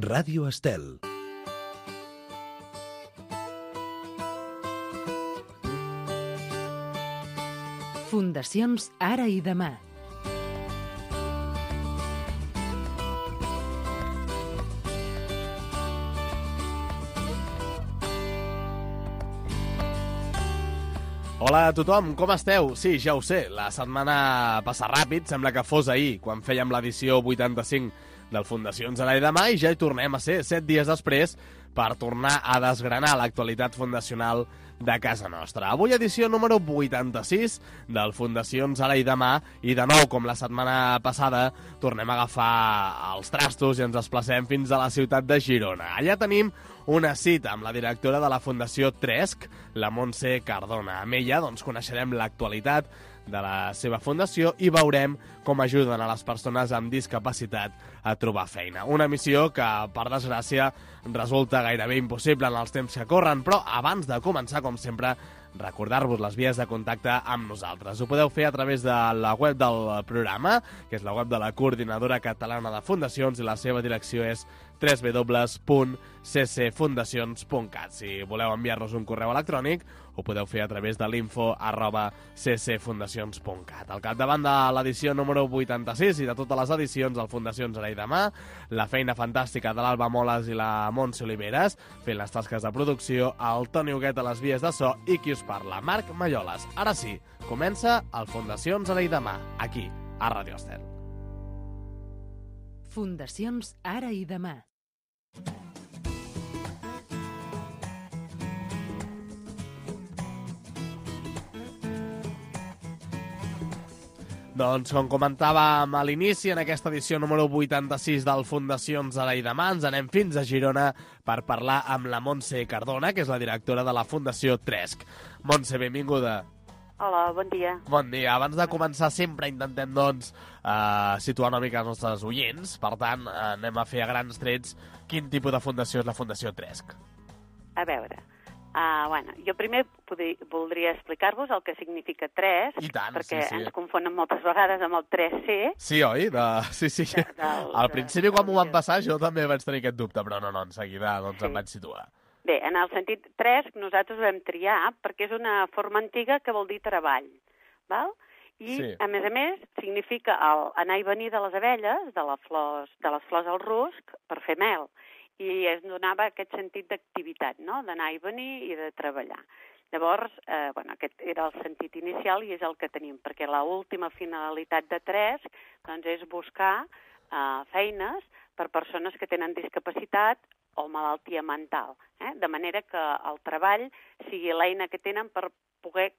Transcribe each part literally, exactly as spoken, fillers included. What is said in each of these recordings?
Ràdio Estel. Fundacions Ara i Demà. Hola a tothom, com esteu? Sí, ja ho sé, la setmana passa ràpid, sembla que fos ahir, quan fèiem l'edició vuitanta-cinc del Fundacions Ara i Demà, i ja hi tornem a ser, set dies després, per tornar a desgranar l'actualitat fundacional de casa nostra. Avui edició número vuitanta-sis del Fundacions Ara i Demà, i de nou, com la setmana passada, tornem a agafar els trastos i ens desplacem fins a la ciutat de Girona. Allà tenim una cita amb la directora de la Fundació Tresc, la Montse Cardona. Amb ella doncs, coneixerem l'actualitat de la seva fundació i veurem com ajuden a les persones amb discapacitat a trobar feina. Una missió que, per desgràcia, resulta gairebé impossible en els temps que corren, però abans de començar, com sempre, recordar-vos les vies de contacte amb nosaltres. Ho podeu fer a través de la web del programa, que és la web de la Coordinadora Catalana de Fundacions, i la seva direcció és w w w punt c c fundacions punt cat. Si voleu enviar-nos un correu electrònic, ho podeu fer a través de l'info arroba c c fundacions punt cat. Al capdavant de l'edició número vuitanta-sis i de totes les edicions del Fundacions Ara i Demà, la feina fantàstica de l'Alba Moles i la Montse Oliveres, fent les tasques de producció, el Toni Huguet a les vies de so i qui us parla, Marc Malloles. Ara sí, comença el Fundacions Ara i Demà, aquí, a Ràdio Estel. Fundacions Ara i Demà. Doncs, com comentàvem a l'inici, en aquesta edició número vuitanta-sis del Fundacions Ara i Demà, ens anem fins a Girona per parlar amb la Montse Cardona, que és la directora de la Fundació Tresc. Montse, benvinguda. Hola, bon dia. Bon dia. Abans de començar, sempre intentem, doncs, eh, situar una mica els nostres oients. Per tant, eh, anem a fer a grans trets quin tipus de fundació és la Fundació Tresc. A veure, uh, bueno, jo primer podri, voldria explicar-vos el que significa Tresc, I tant, perquè sí, sí. ens confonen moltes vegades amb el tres ce. Sí, oi? De... Sí, sí. De, del, Al principi, quan de, m'ho van passar, jo també vaig tenir aquest dubte, però no, no, en seguida doncs, Sí. em vaig situar. Bé, en el sentit Tresc, nosaltres ho vam triar perquè és una forma antiga que vol dir treball, val? I, Sí. a més a més, significa el anar i venir de les abelles, de, la flors, de les flors al rusc, per fer mel. I es donava aquest sentit d'activitat, no?, d'anar i venir i de treballar. Llavors, eh, bueno, aquest era el sentit inicial i és el que tenim, perquè l'última finalitat de Tresc doncs, és buscar eh, feines per persones que tenen discapacitat o malaltia mental, eh? De manera que el treball sigui l'eina que tenen per poder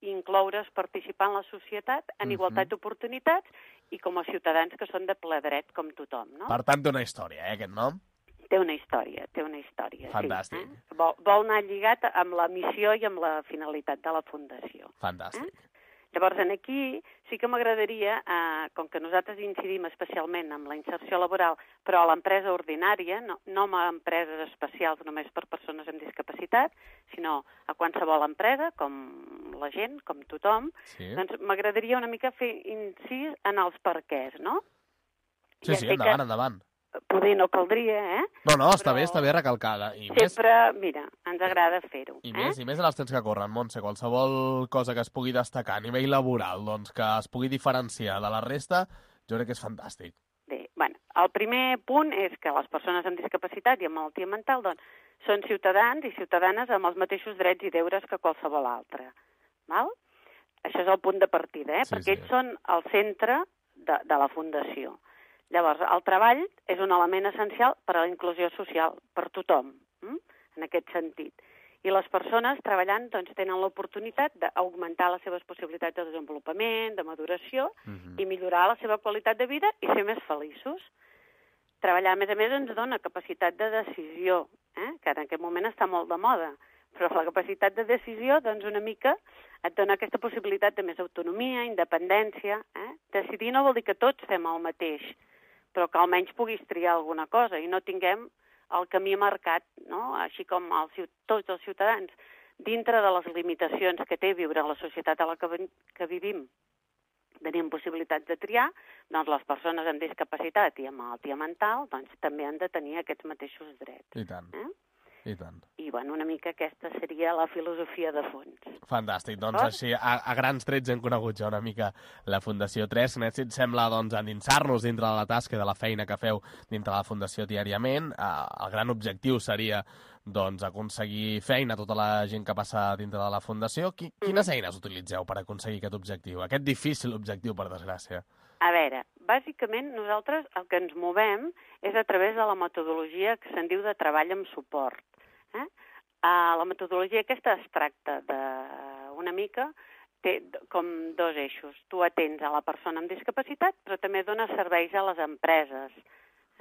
incloure's, participar en la societat en Mhm. igualtat d'oportunitats i com a ciutadans que són de ple dret com tothom, no? Per tant, té una història, eh, aquest nom? Té una història, té una història, Fantàstic. sí. Eh? Vol, vol anar lligat amb la missió i amb la finalitat de la Fundació. Fantàstic. Eh? Llavors, aquí sí que m'agradaria, eh, com que nosaltres incidim especialment en la inserció laboral, però a l'empresa ordinària, no, no a empreses especials només per persones amb discapacitat, sinó a qualsevol empresa, com la gent, com tothom, Sí, doncs m'agradaria una mica fer incís en els perquès, no? sí, Ja sí sé endavant, que endavant. Poder no caldria, eh? No, no, està però- bé, està bé recalcada. I més, Sempre, mira, ens agrada fer-ho. i eh? més, i més en els temps que corren, Montse, qualsevol cosa que es pugui destacar a nivell laboral, doncs que es pugui diferenciar de la resta, jo crec que és fantàstic. Bé, bueno, el primer punt és que les persones amb discapacitat i amb malaltia mental doncs, són ciutadans i ciutadanes amb els mateixos drets i deures que qualsevol altre. Val? Això és el punt de partida, eh? Sí, perquè sí. ells són el centre de, de la Fundació. Llavors, el treball és un element essencial per a la inclusió social, per tothom, hm? en aquest sentit. I les persones treballant doncs, tenen l'oportunitat d'augmentar les seves possibilitats de desenvolupament, de maduració, Mhm. i millorar la seva qualitat de vida i ser més feliços. Treballar, a més a més, ens dona capacitat de decisió, eh? que en aquest moment està molt de moda, però la capacitat de decisió, doncs, una mica et dona aquesta possibilitat de més autonomia, independència. Eh? Decidir no vol dir que tots fem el mateix, però que almenys puguis triar alguna cosa i no tinguem el camí marcat, no? Així com els, tots els ciutadans, dintre de les limitacions que té viure a la societat a la que, que vivim, tenim possibilitats de triar, doncs les persones amb discapacitat i amb malaltia mental doncs, també han de tenir aquests mateixos drets. I tant, eh? i tant. I, bueno, una mica aquesta seria la filosofia de fons. Fantàstic. Doncs així, a, a grans trets hem conegut ja una mica la Fundació tres. Si et sembla, doncs, endinsar-nos dintre de la tasca i de la feina que feu dintre de la Fundació diàriament. Eh, el gran objectiu seria doncs, aconseguir feina a tota la gent que passa dintre de la Fundació. Qui, quines eines utilitzeu per aconseguir aquest objectiu? Aquest difícil objectiu, per desgràcia. A veure, bàsicament nosaltres el que ens movem és a través de la metodologia que se'n diu de treball amb suport. Eh? Uh, la metodologia aquesta es tracta d'una mica, té com dos eixos. Tu atens a la persona amb discapacitat, però també dones serveis a les empreses.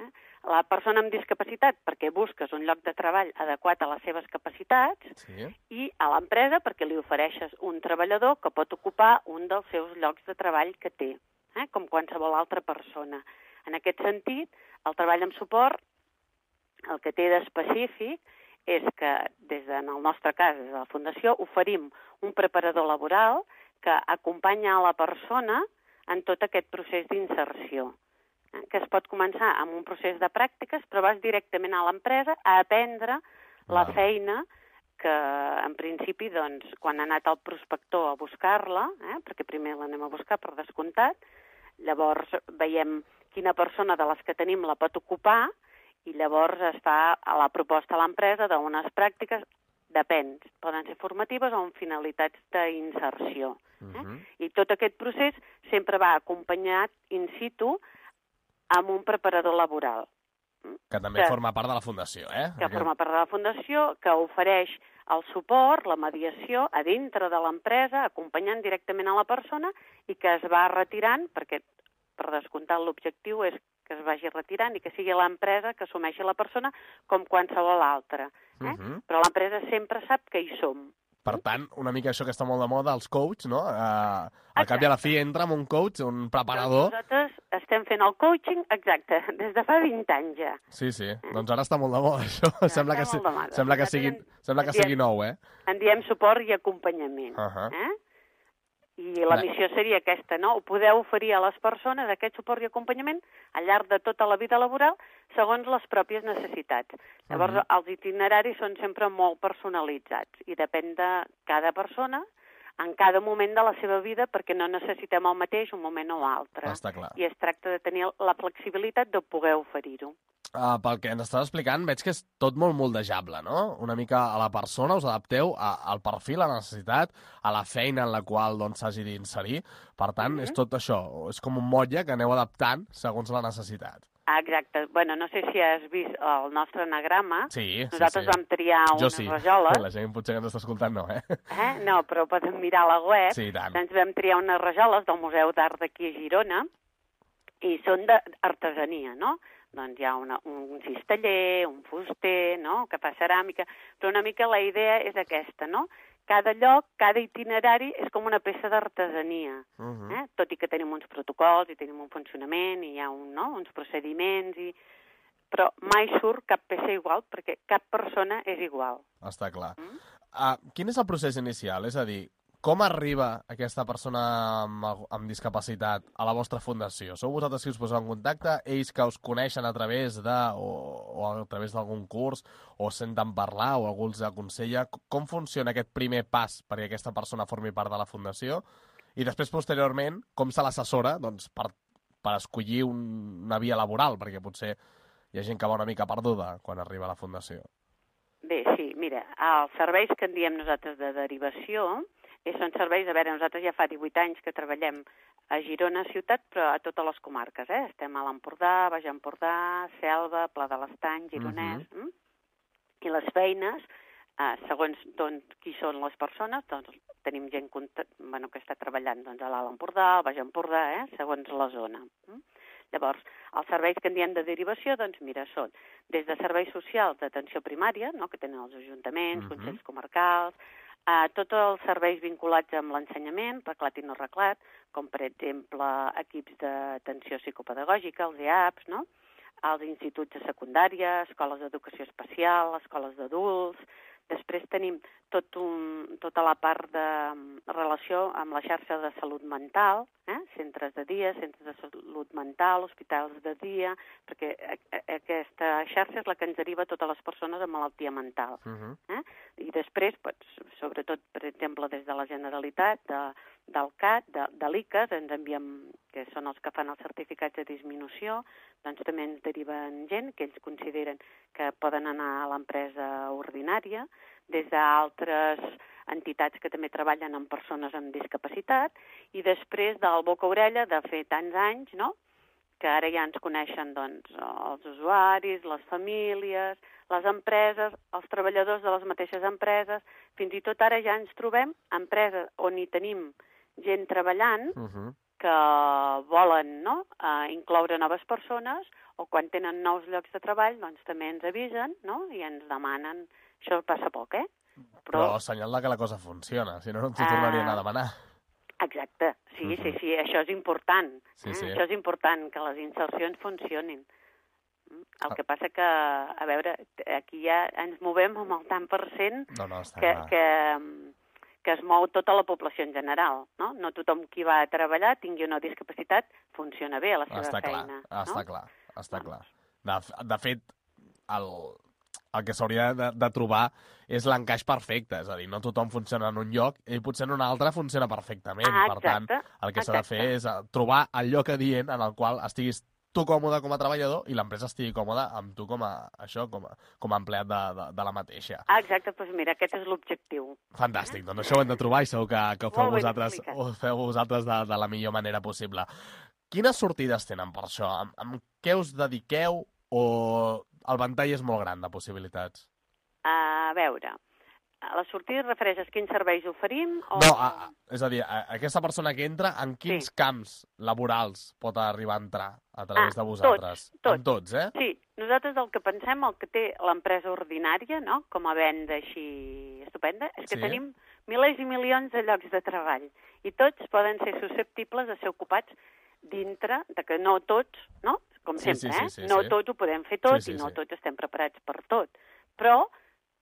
Eh? La persona amb discapacitat perquè busques un lloc de treball adequat a les seves capacitats, sí. I a l'empresa perquè li ofereixes un treballador que pot ocupar un dels seus llocs de treball que té, eh? Com qualsevol altra persona. En aquest sentit, el treball amb suport, el que té d'específic és que, des de, en el nostre cas, des de la Fundació, oferim un preparador laboral que acompanya a la persona en tot aquest procés d'inserció, eh? Que es pot començar amb un procés de pràctiques, però vas directament a l'empresa a aprendre la Val. feina que, en principi, doncs, quan ha anat el prospector a buscar-la, eh? Perquè primer l'anem a buscar per descomptat, llavors veiem quina persona de les que tenim la pot ocupar, i llavors es fa a la proposta a l'empresa d'unes pràctiques, depèn, poden ser formatives o amb finalitats d'inserció. Eh? Uh -huh. I tot aquest procés sempre va acompanyat in situ amb un preparador laboral. Que també que, forma part de la Fundació, eh? Que forma part de la Fundació, que ofereix el suport, la mediació, a dintre de l'empresa, acompanyant directament a la persona i que es va retirant, perquè per descomptat l'objectiu és que es vagi retirant i que sigui l'empresa que assumeixi la persona com qualsevol altra. Eh? Uh -huh. Però l'empresa sempre sap que hi som. Per tant, una mica això que està molt de moda, els coach, no? Uh, al cap i a la fi entra amb un coach, un preparador... Doncs nosaltres estem fent el coaching, exacte, des de fa vint anys ja. Sí, sí. Eh? Doncs ara està molt de moda, això. Ja, sembla que, si... sembla que, sigui... en... sembla que sigui nou, eh? En diem suport i acompanyament. Uh -huh. eh? I la missió seria aquesta, no? Poder oferir a les persones aquest suport i acompanyament al llarg de tota la vida laboral segons les pròpies necessitats. Llavors, uh-huh. els itineraris són sempre molt personalitzats i depèn de cada persona en cada moment de la seva vida perquè no necessitem el mateix un moment o altre. Està clar. I es tracta de tenir la flexibilitat de poder oferir-ho. Uh, pel que ens estàs explicant, veig que és tot molt moldejable, no? Una mica a la persona, us adapteu a, al perfil, a la necessitat, a la feina en la qual doncs, s'hagi d'inserir. Per tant, mm-hmm. és tot això. És com un motlle que aneu adaptant segons la necessitat. Exacte. Bueno, no sé si has vist el nostre anagrama. Sí, Nosaltres sí, sí. vam triar jo unes sí. rajoles. La gent potser que ens està escoltant no, eh? eh? No, però poden mirar a la web. Sí, tant. Doncs vam triar unes rajoles del Museu d'Art d'aquí a Girona i són d'artesania, no? Doncs hi ha una, un cisteller, un fuster, no?, que fa ceràmica, però una mica la idea és aquesta, no? Cada lloc, cada itinerari és com una peça d'artesania, uh -huh. eh? Tot i que tenim uns protocols i tenim un funcionament i hi ha un, no? uns procediments, i... però mai surt cap peça igual perquè cap persona és igual. Està clar. Mm? Uh, quin és el procés inicial? És a dir, com arriba aquesta persona amb, amb discapacitat a la vostra fundació? Sou vosaltres qui us poseu en contacte? Ells que us coneixen a través de, o, o a través d'algun curs, o senten parlar, o algú els aconsella? Com funciona aquest primer pas perquè aquesta persona formi part de la fundació? I després, posteriorment, com se l'assessora doncs, per, per escollir un, una via laboral? Perquè potser hi ha gent que va una mica perduda quan arriba a la fundació. Bé, sí, mira, els serveis que en diem nosaltres de derivació i són serveis, a veure, nosaltres ja fa divuit anys que treballem a Girona ciutat, però a totes les comarques, eh? Estem a l'Empordà, Baix Empordà, Selva, Pla de l'Estany, Gironès, uh-huh. mm? I les feines, eh, segons doncs, qui són les persones, doncs tenim gent bueno, que està treballant doncs, a l'Alt Empordà, al Baix Empordà, eh? Segons la zona. Mm? Llavors, els serveis que en diem de derivació, doncs mira, són des de serveis socials d'atenció primària, no? Que tenen els ajuntaments, uh-huh. consells comarcals, Uh, tots els serveis vinculats amb l'ensenyament, reglat i no reglat, com per exemple equips d'atenció psicopedagògica, els E A Ps, no? Els instituts de secundària, escoles d'educació especial, escoles d'adults. Després tenim tot un, tota la part de relació amb la xarxa de salut mental, eh? centres de dia, centres de salut mental, hospitals de dia, perquè aquesta xarxa és la que ens deriva a totes les persones amb malaltia mental. Uh-huh. eh? I després, doncs, sobretot, per exemple, des de la Generalitat, de, del C A T, de, de l'I C A S, ens enviem, que són els que fan els certificats de disminució, doncs també ens deriven gent que ells consideren que poden anar a l'empresa ordinària, des d'altres entitats que també treballen amb persones amb discapacitat, i després del boca-orella de fer tants anys, no?, que ara ja ens coneixen doncs, els usuaris, les famílies, les empreses, els treballadors de les mateixes empreses, fins i tot ara ja ens trobem empreses on hi tenim gent treballant uh-huh. que volen no, uh, incloure noves persones, o quan tenen nous llocs de treball doncs també ens avisen no, i ens demanen. Això passa poc, eh? Però, Però senyal de que la cosa funciona, si no, no t'ho tornarien uh... a demanar. Exacte, sí, uh-huh. sí, sí, això és important. Sí, sí. Eh? Això és important, que les insercions funcionin. El que passa que, a veure, aquí ja ens movem amb el tant per cent no, no, que, que, que es mou tota la població en general. No, no tothom qui va a treballar tingui una discapacitat, funciona bé a la seva està feina. Clar, està no? clar, està clar. De, de fet, el... el que s'hauria de, de trobar és l'encaix perfecte, és a dir, no tothom funciona en un lloc i potser en un altre funciona perfectament. Ah, per tant, el que s'ha de fer és trobar el lloc adient en el qual estiguis tu còmode com a treballador i l'empresa estigui còmoda amb tu com a, això, com a, com a empleat de, de, de la mateixa. Ah, exacte, doncs mira, aquest és l'objectiu. Fantàstic, doncs això ho hem de trobar i segur que, que ho feu vosaltres, ho feu vosaltres de, de la millor manera possible. Quines sortides tenen per això? Amb, amb què us dediqueu o el ventall és molt gran de possibilitats? A veure, la sortida es refereix a quins serveis oferim? O... No, a, a, és a dir, a, aquesta persona que entra, en quins sí. camps laborals pot arribar a entrar a través ah, de vosaltres? Tots, tots. En tots, eh? Sí, nosaltres el que pensem, el que té l'empresa ordinària, no?, com a venda així estupenda, és que sí. tenim milers i milions de llocs de treball i tots poden ser susceptibles de ser ocupats dintre, de que no tots, no?, com sí, sempre, sí, sí, eh? Sí, no sí. tots ho podem fer tot sí, sí, i no sí. tots estem preparats per tot. Però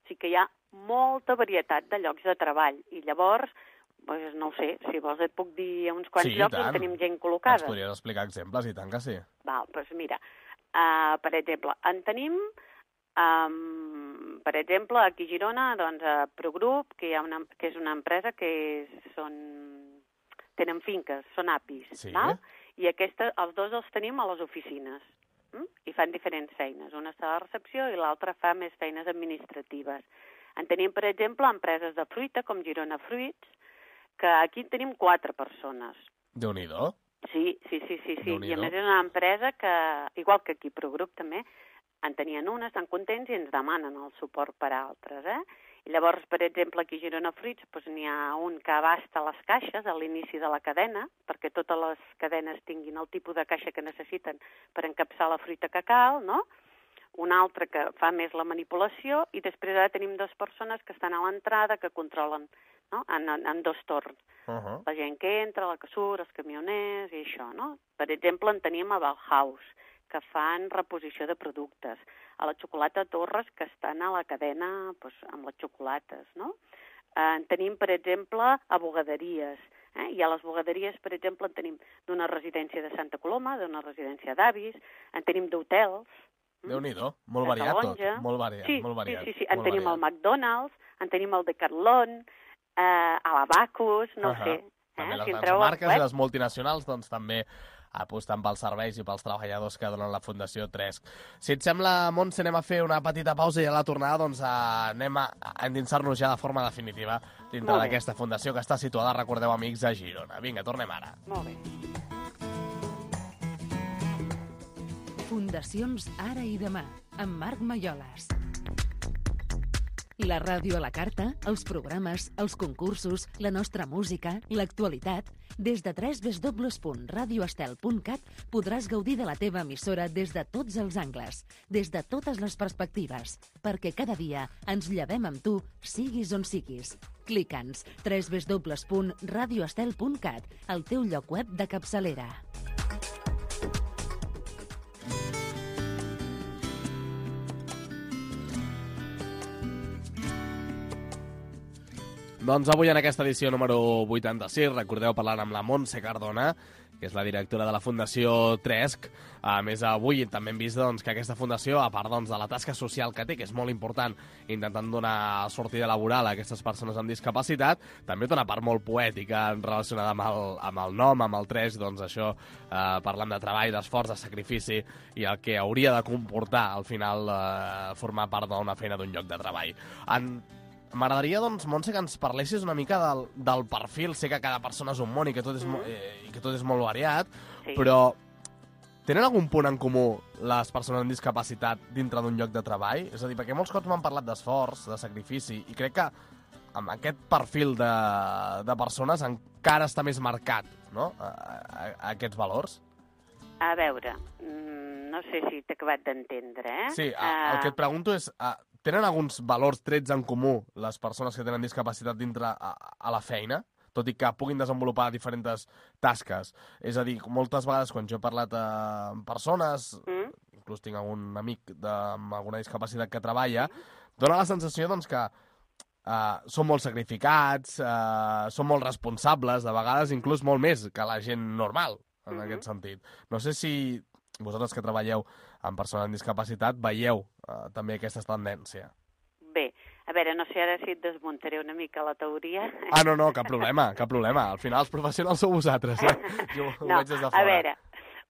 sí que hi ha molta varietat de llocs de treball. I llavors, doncs, no ho sé, si vols et puc dir uns quants sí, llocs on tenim gent col·locada. Ens podries explicar exemples, i tant que sí. Val, doncs mira, uh, per exemple, en tenim, um, per exemple, aquí a Girona, doncs, a Progrup, que, hi ha una, que és una empresa que són, tenen finques, són apis, sí. val? I aquesta, els dos els tenim a les oficines, hm? i fan diferents feines. Una està a la recepció i l'altra fa més feines administratives. En tenim, per exemple, empreses de fruita, com Girona Fruits, que aquí tenim quatre persones. Déu-n'hi-do. Sí, sí, sí, sí, sí. I a més és una empresa que, igual que aquí Progrup també, en tenien una, estan contents i ens demanen el suport per a altres, eh? I llavors, per exemple, aquí a Girona Fruits doncs, n'hi ha un que abasta les caixes a l'inici de la cadena, perquè totes les cadenes tinguin el tipus de caixa que necessiten per encapçar la fruita que cal, no? Un altre que fa més la manipulació, i després ara tenim dues persones que estan a l'entrada que controlen, no?, en, en, en dos torns. Uh-huh. La gent que entra, la que surt, els camioners i això, no? Per exemple, en tenim a Bauhaus, que fan reposició de productes, a la xocolata Torres, que estan a la cadena doncs, amb les xocolates, no? Eh, en tenim, per exemple, a bugaderies, eh? I a les bugaderies, per exemple, en tenim d'una residència de Santa Coloma, d'una residència d'avis, en tenim d'hotels. Déu-n'hi-do, molt variat tot, molt variat, sí, molt variat. Sí, sí, sí, en tenim variat. el McDonald's, en tenim el Decathlon, eh, a l'Abacus, no uh-huh. ho sé. També eh? les si grans marques i les multinacionals, doncs també apostant pels serveis i pels treballadors que donen la Fundació Tresc. Si et sembla, Montse, anem a fer una petita pausa i a la tornada doncs, anem a endinsar-nos ja de forma definitiva dintre d'aquesta fundació que està situada, recordeu, amics, a Girona. Vinga, tornem ara. Molt bé. Fundacions Ara i Demà, amb Marc Malloles. La ràdio a la carta, els programes, els concursos, la nostra música, l'actualitat. Des de w w w punt radio estel punt cat podràs gaudir de la teva emissora des de tots els angles, des de totes les perspectives, perquè cada dia ens llevem amb tu, siguis on siguis. Clica'ns w w w punt radio estel punt cat, el teu lloc web de capçalera. Doncs avui en aquesta edició número vuitanta-sis, recordeu parlant amb la Montse Cardona, que és la directora de la Fundació Tresc. A més, avui també hem vist doncs, que aquesta fundació, a part doncs, de la tasca social que té, que és molt important, intentant donar sortida laboral a aquestes persones amb discapacitat, també té una part molt poètica relacionada amb el, amb el nom, amb el Tresc, doncs això, eh, parlant de treball, d'esforç, de sacrifici, i el que hauria de comportar, al final, eh, formar part d'una feina d'un lloc de treball. En M'agradaria, doncs, Montse, que ens parlessis una mica del, del perfil. Sé que cada persona és un món i que tot és, mm. eh, i que tot és molt variat, sí. Però tenen algun punt en comú les persones amb discapacitat dintre d'un lloc de treball? És a dir, perquè molts cops m'han parlat d'esforç, de sacrifici, i crec que amb aquest perfil de, de persones encara està més marcat, no?, a, a, a aquests valors. A veure, no sé si t'he acabat d'entendre, eh? Sí, a, el que et pregunto és... A, tenen alguns valors, trets en comú, les persones que tenen discapacitat dintre a, a la feina, tot i que puguin desenvolupar diferents tasques? És a dir, moltes vegades quan jo he parlat amb persones, mm. inclús tinc algun amic de, amb alguna discapacitat que treballa, dona la sensació doncs, que uh, són molt sacrificats, uh, són molt responsables, de vegades inclús molt més que la gent normal, en mm-hmm. aquest sentit. No sé si vosaltres que treballeu amb persones amb discapacitat veieu uh, també aquesta tendència. Bé, a veure, no sé ara si et desmuntaré una mica la teoria. Ah, no, no, cap problema, cap problema. Al final els professionals sou vosaltres, eh? Jo ho no, veig des de fora. A veure,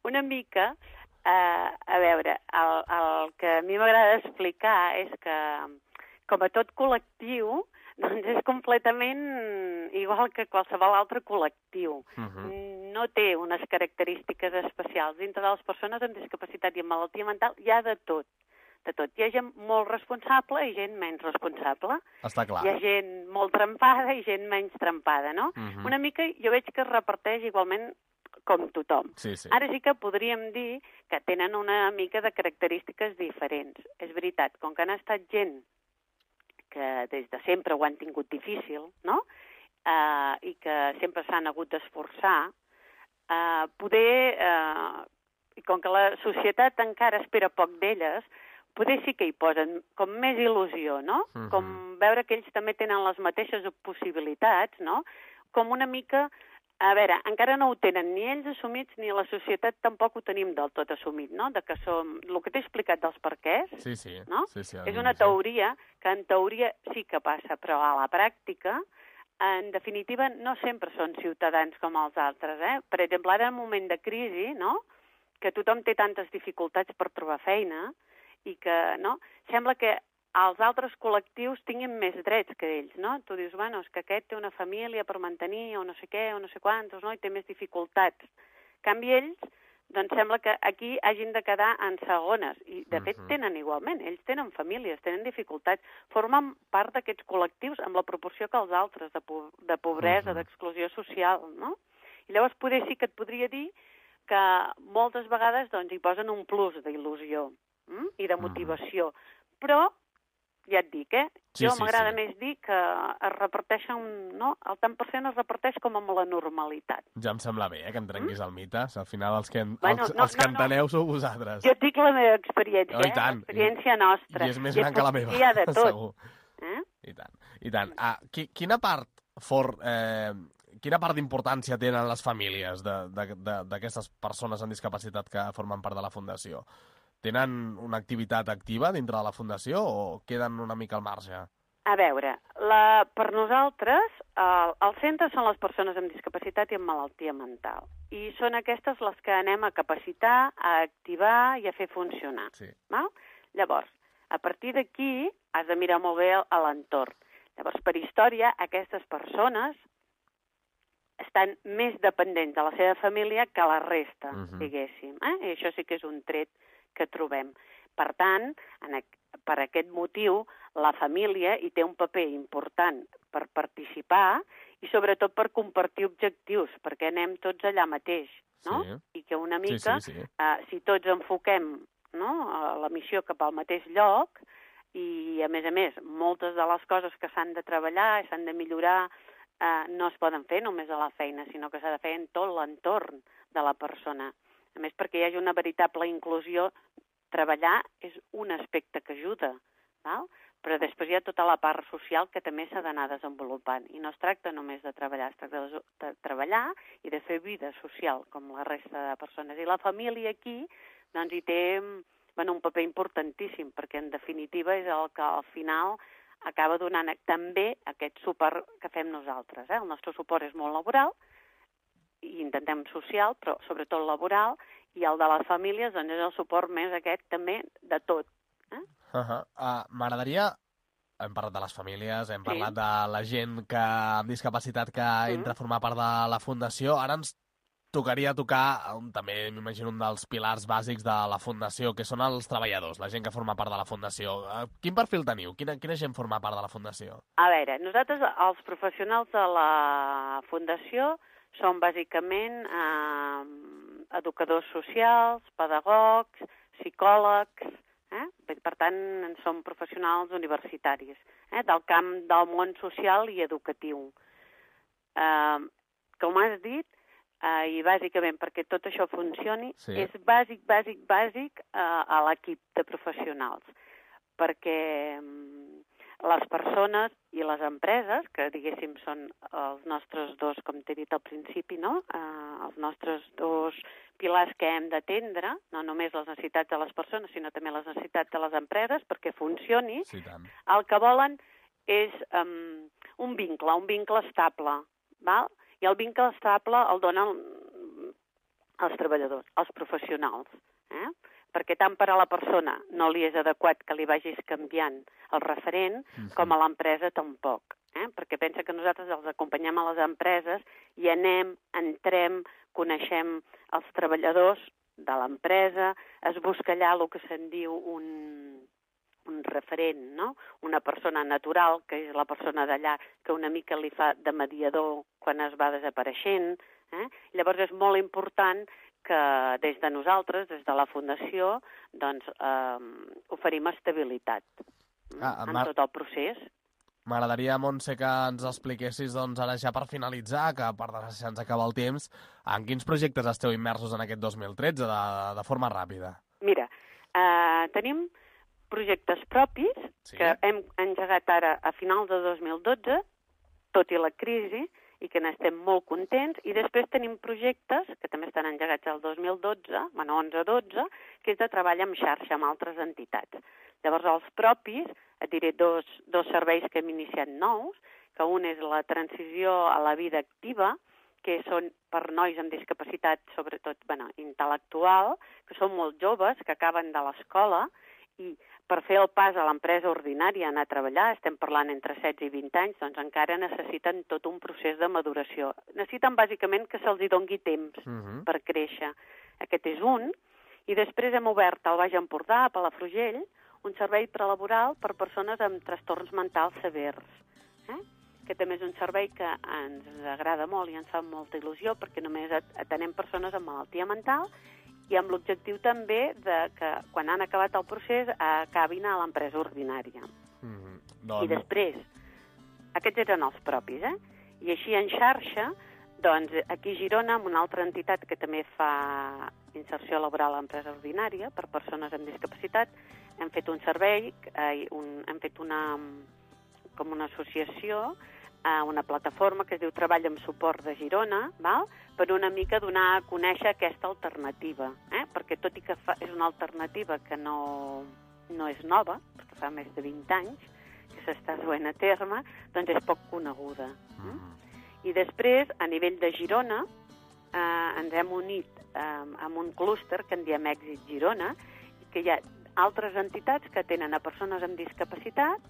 una mica, uh, a veure, el, el que a mi m'agrada explicar és que, com a tot col·lectiu, doncs és completament igual que qualsevol altre col·lectiu. Uh-huh. No té unes característiques especials. Dintre de les persones amb discapacitat i amb malaltia mental hi ha de tot. De tot. Hi ha gent molt responsable i gent menys responsable. Està clar. Hi ha gent molt trempada i gent menys trempada, no? Uh-huh. Una mica jo veig que es reparteix igualment com tothom. Sí, sí. Ara sí que podríem dir que tenen una mica de característiques diferents. És veritat, com que han estat gent que des de sempre ho han tingut difícil, no?, uh, i que sempre s'han hagut d'esforçar, uh, poder, uh, i com que la societat encara espera poc d'elles, poder sí que hi posen com més il·lusió, no? Uh-huh. Com veure que ells també tenen les mateixes possibilitats, no? Com una mica... A veure, encara no ho tenen ni ells assumits ni la societat tampoc ho tenim del tot assumit, no? De que som... El que t'he explicat dels perquès, sí, sí. no? Sí, sí, és una teoria que en teoria sí que passa, però a la pràctica, en definitiva, no sempre són ciutadans com els altres, eh? Per exemple, ara en un moment de crisi, no?, que tothom té tantes dificultats per trobar feina i que, no?, sembla que els altres col·lectius tinguin més drets que ells, no? Tu dius, bueno, és que aquest té una família per mantenir o no sé què, o no sé quantos, no?, i té més dificultats. En canvi, ells, doncs sembla que aquí hagin de quedar en segones, i de fet tenen igualment, ells tenen famílies, tenen dificultats, formen part d'aquests col·lectius amb la proporció que els altres, de, po de pobresa, uh-huh. d'exclusió social, no? I llavors poder sí que et podria dir que moltes vegades doncs, hi posen un plus d'il·lusió hm? i de motivació, uh-huh. però ja et dic, eh? Sí, jo sí, m'agrada sí. més dir que es reparteixen, no? El tant per cent es reparteix com amb la normalitat. Ja em sembla bé, eh, que em trenquis mm? el mite. Al final els que, en, bueno, els, no, els que no, enteneu no. sou vosaltres. Jo et dic la meva experiència, oh, tant. eh? L'experiència nostra. I és més gran que la meva, hi ha de tot. Segur. Eh? I tant, i tant. Ah, qui, quina part fort... Eh, quina part d'importància tenen les famílies d'aquestes persones amb discapacitat que formen part de la Fundació? Tenen una activitat activa dintre de la Fundació o queden una mica al marge? A veure, la, per nosaltres, el, el centre són les persones amb discapacitat i amb malaltia mental. I són aquestes les que anem a capacitar, a activar i a fer funcionar. Sí. Val? Llavors, a partir d'aquí has de mirar molt bé a l'entorn. Llavors, per història, aquestes persones estan més dependents de la seva família que la resta, uh-huh. diguéssim. Eh? I això sí que és un tret que trobem. Per tant, en, per aquest motiu, la família hi té un paper important per participar i sobretot per compartir objectius, perquè anem tots allà mateix, no? Sí. I que una mica, sí, sí, sí. Uh, si tots enfoquem, no?, la missió cap al mateix lloc, i a més a més, moltes de les coses que s'han de treballar i s'han de millorar uh, no es poden fer només a la feina, sinó que s'ha de fer en tot l'entorn de la persona. A més, perquè hi hagi una veritable inclusió, treballar és un aspecte que ajuda, val? Però després hi ha tota la part social que també s'ha d'anar desenvolupant. I no es tracta només de treballar, es tracta de, de treballar i de fer vida social, com la resta de persones. I la família aquí, doncs, hi té bueno, un paper importantíssim, perquè en definitiva és el que al final acaba donant també aquest suport que fem nosaltres. Eh? El nostre suport és molt laboral, i intentem social, però sobretot laboral, i el de les famílies doncs, és el suport més aquest també de tot. Eh? Uh -huh. uh, M'agradaria... Hem parlat de les famílies, hem Sí. parlat de la gent que amb discapacitat que Mm. entra a formar part de la Fundació. Ara ens tocaria tocar, un, també m'imagino, un dels pilars bàsics de la Fundació, que són els treballadors, la gent que forma part de la Fundació. Uh, quin perfil teniu? Quina, quina gent forma part de la Fundació? A veure, nosaltres, els professionals de la Fundació, som bàsicament eh, educadors socials, pedagogs, psicòlegs, eh? Per tant, som professionals universitaris, eh? del camp del món social i educatiu. Eh, com has dit, eh, i bàsicament perquè tot això funcioni, Sí. és bàsic, bàsic, bàsic eh, a l'equip de professionals, perquè les persones i les empreses, que diguéssim són els nostres dos, com t'he dit al principi, no? eh, els nostres dos pilars que hem d'atendre, no només les necessitats de les persones, sinó també les necessitats de les empreses, perquè funcioni, Sí, tant. el que volen és um, un vincle, un vincle estable, val? I el vincle estable el donen els treballadors, els professionals, eh? Perquè tant per a la persona no li és adequat que li vagis canviant el referent, Mhm. com a l'empresa tampoc. Eh? Perquè pensa que nosaltres els acompanyem a les empreses i anem, entrem, coneixem els treballadors de l'empresa, es busca allà el que se'n diu un, un referent, no? Una persona natural, que és la persona d'allà, que una mica li fa de mediador quan es va desapareixent. Eh? Llavors és molt important que des de nosaltres, des de la Fundació, doncs, eh, oferim estabilitat Ah, en Mar- tot el procés. M'agradaria, Montse, que ens expliquessis, doncs, ara ja per finalitzar, que per desgràcia ens acaba el temps, en quins projectes esteu immersos en aquest dos mil tretze, de, de forma ràpida? Mira, eh, tenim projectes propis Sí. que hem engegat ara a finals de dos mil dotze, tot i la crisi, i que n'estem molt contents, i després tenim projectes que també estan engegats al dos mil dotze, bueno, onze dotze, que és de treball en xarxa amb altres entitats. Llavors, els propis, et diré dos, dos serveis que hem iniciat nous, que un és la transició a la vida activa, que són per nois amb discapacitat, sobretot bueno, intel·lectual, que són molt joves, que acaben de l'escola, i per fer el pas a l'empresa ordinària, anar a treballar, estem parlant entre setze i vint anys, doncs encara necessiten tot un procés de maduració. Necessiten bàsicament que se'ls hi dongui temps Uh-huh. per créixer. Aquest és un. I després hem obert al Baix Empordà, a Palafrugell, un servei prelaboral per persones amb trastorns mentals severs. Eh? Que també és un servei que ens agrada molt i ens fa molta il·lusió, perquè només atenem persones amb malaltia mental i amb l'objectiu també de que quan han acabat el procés acabin a l'empresa ordinària. Uh-huh. I Doncs, després, aquests eren els propis, eh? I així en xarxa, doncs aquí a Girona, amb una altra entitat que també fa inserció laboral a l'empresa ordinària per persones amb discapacitat, hem fet un servei, eh, un, hem fet una, com una associació, eh, una plataforma que es diu Treball amb Suport de Girona, val? Per una mica donar a conèixer aquesta alternativa, eh? Perquè tot i que fa, és una alternativa que no, no és nova, perquè fa més de vint anys que s'està duent a terme, doncs és poc coneguda. uh-huh. I després, a nivell de Girona, eh, ens hem unit eh, amb un clúster que en diem Èxit Girona, que hi ha altres entitats que tenen a persones amb discapacitat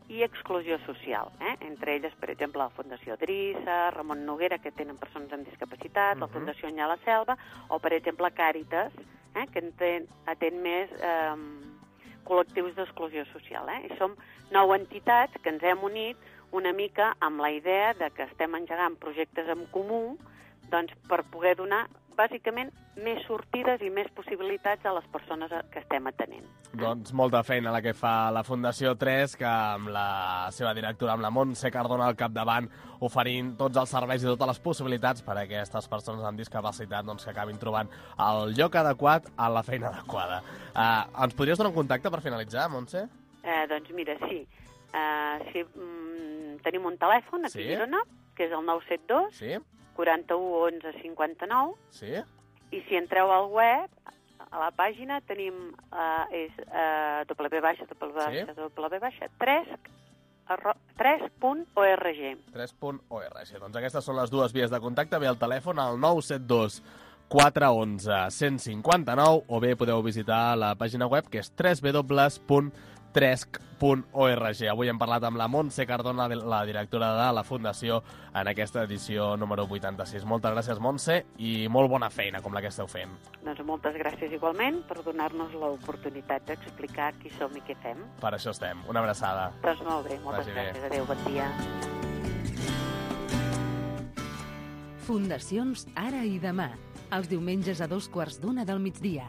i exclusió social. Eh? Entre elles, per exemple, la Fundació Drissa, Ramon Noguera, que tenen persones amb discapacitat, uh-huh. la Fundació Nyà la Selva, o, per exemple, Càritas, eh? que atén, atén més eh, col·lectius d'exclusió social. Eh? I som nou entitats que ens hem unit una mica amb la idea de que estem engegant projectes en comú doncs, per poder donar, bàsicament, més sortides i més possibilitats a les persones que estem atenent. Doncs molta feina la que fa la Fundació tres, que amb la seva directora, amb la Montse Cardona al capdavant, oferint tots els serveis i totes les possibilitats per a aquestes persones amb discapacitat doncs, que acabin trobant el lloc adequat a la feina adequada. Uh, ens podries donar un contacte per finalitzar, Montse? Eh, doncs mira, sí. Uh, si, mm, tenim un telèfon aquí Sí. a Girona, que és el nou set dos, Sí? quaranta-u, onze, cinquanta-nou, Sí? i si entreu al web, a la pàgina tenim, uh, és uh, w baixa, w baixa, Sí. w baixa, tres punt org. tres punt org. Doncs aquestes són les dues vies de contacte. Ve al telèfon al nou set dos, quatre onze, cent cinquanta-nou o bé podeu visitar la pàgina web que és w w w punt tresc punt org. Avui hem parlat amb la Montse Cardona, la directora de la Fundació, en aquesta edició número vuitanta-sis. Moltes gràcies, Montse, i molt bona feina, com la que esteu fent. Doncs moltes gràcies igualment per donar-nos l'oportunitat d'explicar qui som i què fem. Per això estem. Una abraçada. Doncs molt bé, moltes Vagi bé. gràcies. Adéu, bon dia. Fundacions Ara i Demà, els diumenges a dos quarts d'una del migdia.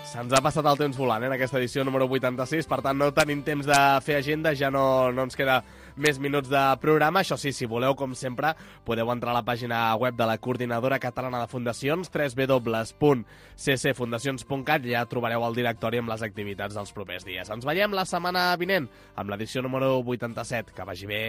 Se'ns ha passat el temps volant, eh, en aquesta edició número vuitanta-sis, per tant no tenim temps de fer agenda, ja no, no ens queda més minuts de programa. Això sí, si voleu, com sempre, podeu entrar a la pàgina web de la Coordinadora Catalana de Fundacions, w w w punt c c fundacions punt cat, i ja trobareu el directori amb les activitats dels propers dies. Ens veiem la setmana vinent amb l'edició número vuitanta-set. Que vagi bé.